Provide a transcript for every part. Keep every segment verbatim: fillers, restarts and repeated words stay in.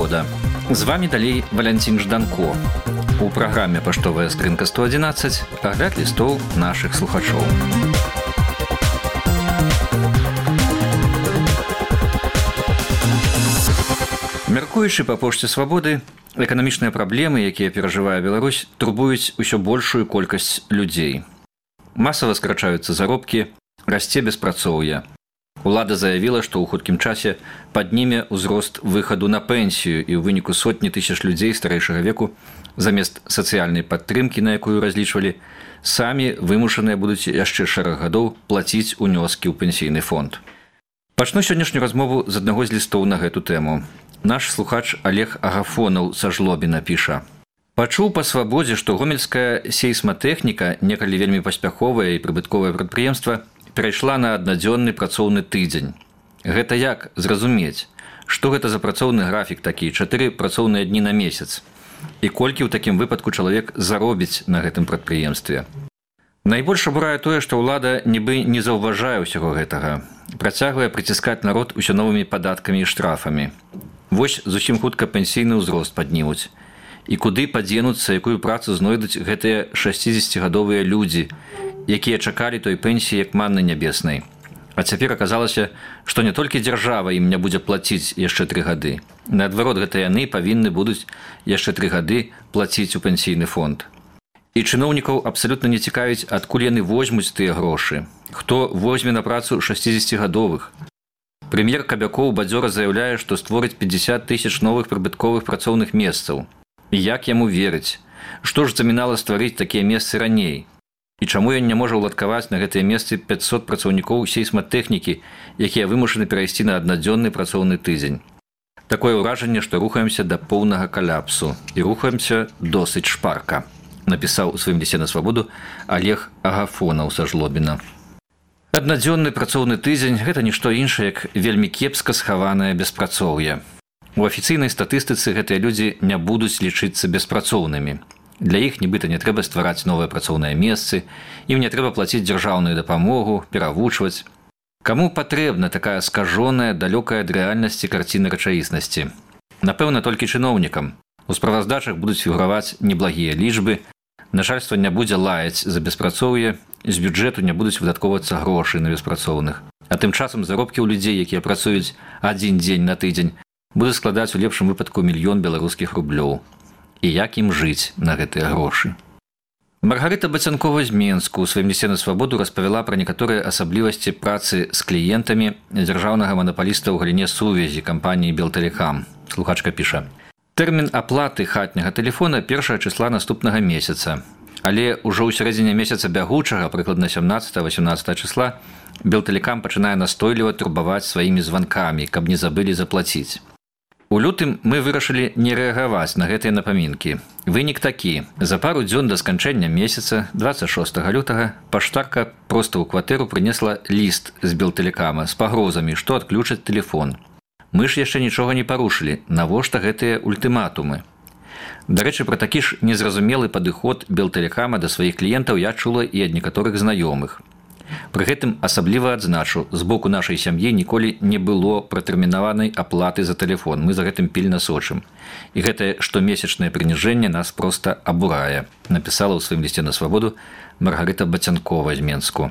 «Свабода». З вами далей Валянцін Жданко. У праграме «Паштовая скрынка сто адзінаццаць» агляд лістоў нашых слухачоў. Мяркуючы па пошце «Свабоды», эканамічныя праблемы, якія перажывае Беларусь, турбуюць усё большую колькасць людзей. Масава скарачаюцца заробкі, расце беспрацоўе. Улада заявіла, што ў хуткім часе падніме ўзрост выхаду на пенсію, і ў выніку сотні тысяч людзей старэйшага веку замест сацыяльнай падтрымкі, на якую разлічвалі, самі вымушаныя будуць яшчэ шэраг гадоў плаціць унёскі ў пенсійны фонд. Пачну сённяшнюю размову з аднаго з лістоў на гэту тэму. Наш слухач Олег Агафонаў са Жлобіна піша: «Пачуў па «Свабодзе», што гомельская сейсматэхніка, некалі вельмі паспяховае і прыбытковае прадпрыемства, перайшла на аднадзённы працоўны тыдзень. Гэта як зразумець? Што гэта за працоўны графік такі, чатыры працоўныя дні на месяц? І колькі ў такім выпадку чалавек заробіць на гэтым прадпрыемстве? Найбольш абурае тое, што ўлада нібы не заўважае ўсяго гэтага. Працягвае прыціскаць народ усё новымі падаткамі і штрафамі. Вось зусім хутка пенсійны ўзрост паднімуць. І куды падзенуцца, якую працу знойдуць гэтыя шасцідзесяцігадовыя людзі, якія чакалі той пенсіі як манны нябеснай. А цяпер аказалася, што не толькі дзяржава ім не будзе плаціць яшчэ тры гады. Наадварот, гэта яны павінны будуць яшчэ тры гады плаціць у пенсійны фонд. І чыноўнікаў абсалютна не цікавіць, адкуль яны возьмуць тыя грошы. Хто возьме на працу шасцідзесяцігадовых? Прэм'ер Кабякоў бадзёра заяўляе, што створыць пятьдесят тысяч новых прыбытковых працоўных месцаў. І як яму верыць? Што ж замінала стварыць такія месцы раней? І чаму ён не можа ўладкаваць на гэтыя месцы пятьсот працаўнікоў сейсматэхнікі, якія вымушаны перайсці на аднадзённы працоўны тыдзень? Такое ўражанне, што рухаемся да поўнага каляпсу. І рухаемся досыць шпарка, напісаў у сваім лісце на «Свабоду» Олег Агафонаў са Жлобіна. Аднадзённы працоўны тыдзень – гэта нішто іншае, як вельмі кепска схаванае беспрацоўе. У афіцыйнай статыстыцы гэтыя людзі не будуць лічыцца беспрацоўнымі. Для іх нібыта не трэба ствараць новыя працоўныя месцы, ім не трэба плаціць дзяржаўную дапамогу, перавучваць. Каму патрэбна такая скажоная, далёкая ад рэальнасці карціна рэчаіснасці? Напэўна, толькі чыноўнікам. У справаздачах будуць фігураваць неблагія лічбы, начальства не будзе лаяць за беспрацоўе, з бюджэту не будуць выдаткоўвацца грошы на беспрацоўных. А тым часам заробкі ў людзей, якія працуюць адзін дзень на тыдзень, будуць складаць у лепшым выпадку мільён беларускіх рублёў. І як ім жыць на гэтыя грошы? Маргарыта Бацянкова з Менску ў сваім лісце на «Свабоду» распавяла пра некаторыя асаблівасці працы з кліентамі дзяржаўнага манапаліста ў галіне сувязі кампаніі «Белтэлекам». Слухачка піша: «Тэрмін аплаты хатняга тэлефона першага чысла наступнага месяца. Але ўжо ў сярэдзіне месяца бягучага, прыкладна сямнаццатага-васямнаццатага чысла, «Белтэлекам» пачынае настойліва турбаваць сваімі званкамі, каб не забылі заплаціць. У лютым мы вырашылі не рэагаваць на гэтыя напамінкі. Вынік такі. За пару дзён да сканчэння месяца, дваццаць шостага лютага, паштарка проста ў кватэру прынесла ліст з «Белтэлекама» з пагрозамі, што адключаць тэлефон. Мы ж яшчэ нічога не парушылі. Навошта гэтыя ультыматумы? Дарэчы, пра такі ж незразумелы падыход «Белтэлекама» да сваіх кліентаў я чула і ад некаторых знаёмых. Пры гэтым асабліва адзначу, з боку нашай сям'і ніколі не было пратэрмінаванай аплаты за тэлефон. Мы за гэтым пільна сочым. І гэтае штомесячнае прыніжэнне нас проста абурае, напісала ў сваім лісце на «Свабоду» Маргарыта Бацянкова з Менску.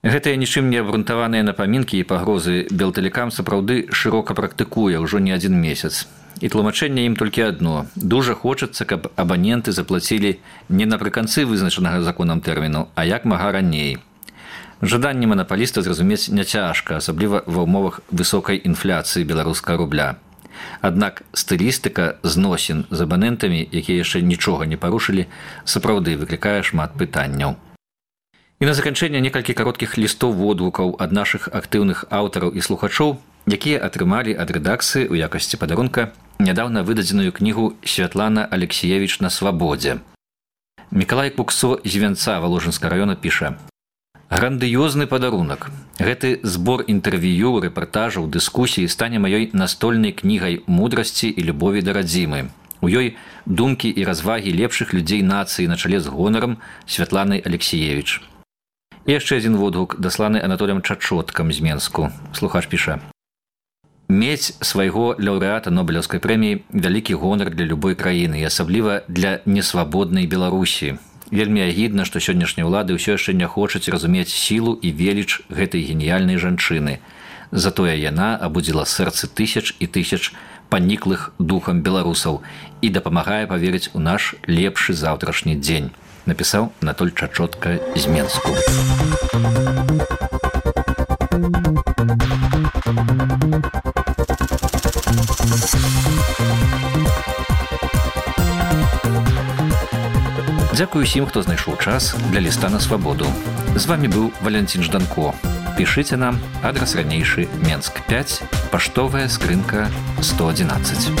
Гэтыя нічым не абрунтаваныя напамінкі і пагрозы «Белтэлекам» сапраўды шырока практыкуе ўжо не адзін месяц. І тлумачэнне ім толькі адно. Дужа хочацца, каб абаненты заплацілі не напрыканцы вызначанага законам тэрміну, а як мага раней. Жаданне манапаліста зразумець няцяжка, асабліва ва ўмовах высокай інфляцыі беларускага рубля. Аднак стылістыка зносін з абанентамі, якія яшчэ нічога не парушылі, сапраўды выклікае шмат пытанняў. І на заканчэнне некалькі кароткіх лістоў водгукаў ад нашых актыўных аўтараў і слухачоў, якія атрымалі ад рэдакцыі ў якасці падарунка нядаўна выдадзеную кнігу Святлана Алексіевіч на «Свабодзе». Мікалай Куксо з Вянца Валожынскага раёна піша: «Грандыёзны падарунак. Гэты збор інтэрв'ю, рэпартажаў, дыскусій стане маёй настольнай кнігай мудрасці і любові да радзімы. У ёй думкі і развагі лепшых людзей нацыі на чале з гонарам Святланай Алексіевіч». І яшчэ адзін водгук, дасланы Анатоліем Чачоткам з Менску. Слухач піша: Мець свайго лаўрэата Нобелеўскай прэміі вялікі гонар для любой краіны і асабліва для несвабоднай Беларусі. Вельмі агідна, што сённяшнія ўлады ўсё яшчэ не хочуць разумець сілу і веліч гэтай геніяльнай жанчыны. Затое яна абудзіла сэрцы тысяч і тысяч паніклых духам беларусаў і дапамагае паверыць у наш лепшы заўтрашні дзень, напісаў Анатоль Чачотка з Менску. Дзякую усім, хто знайшоў час для ліста на свабоду. З вами быў Валянцін Жданко. Пішыце нам, адрас ранейшы Менск пяць, паштовая скрынка сто адзінаццаць.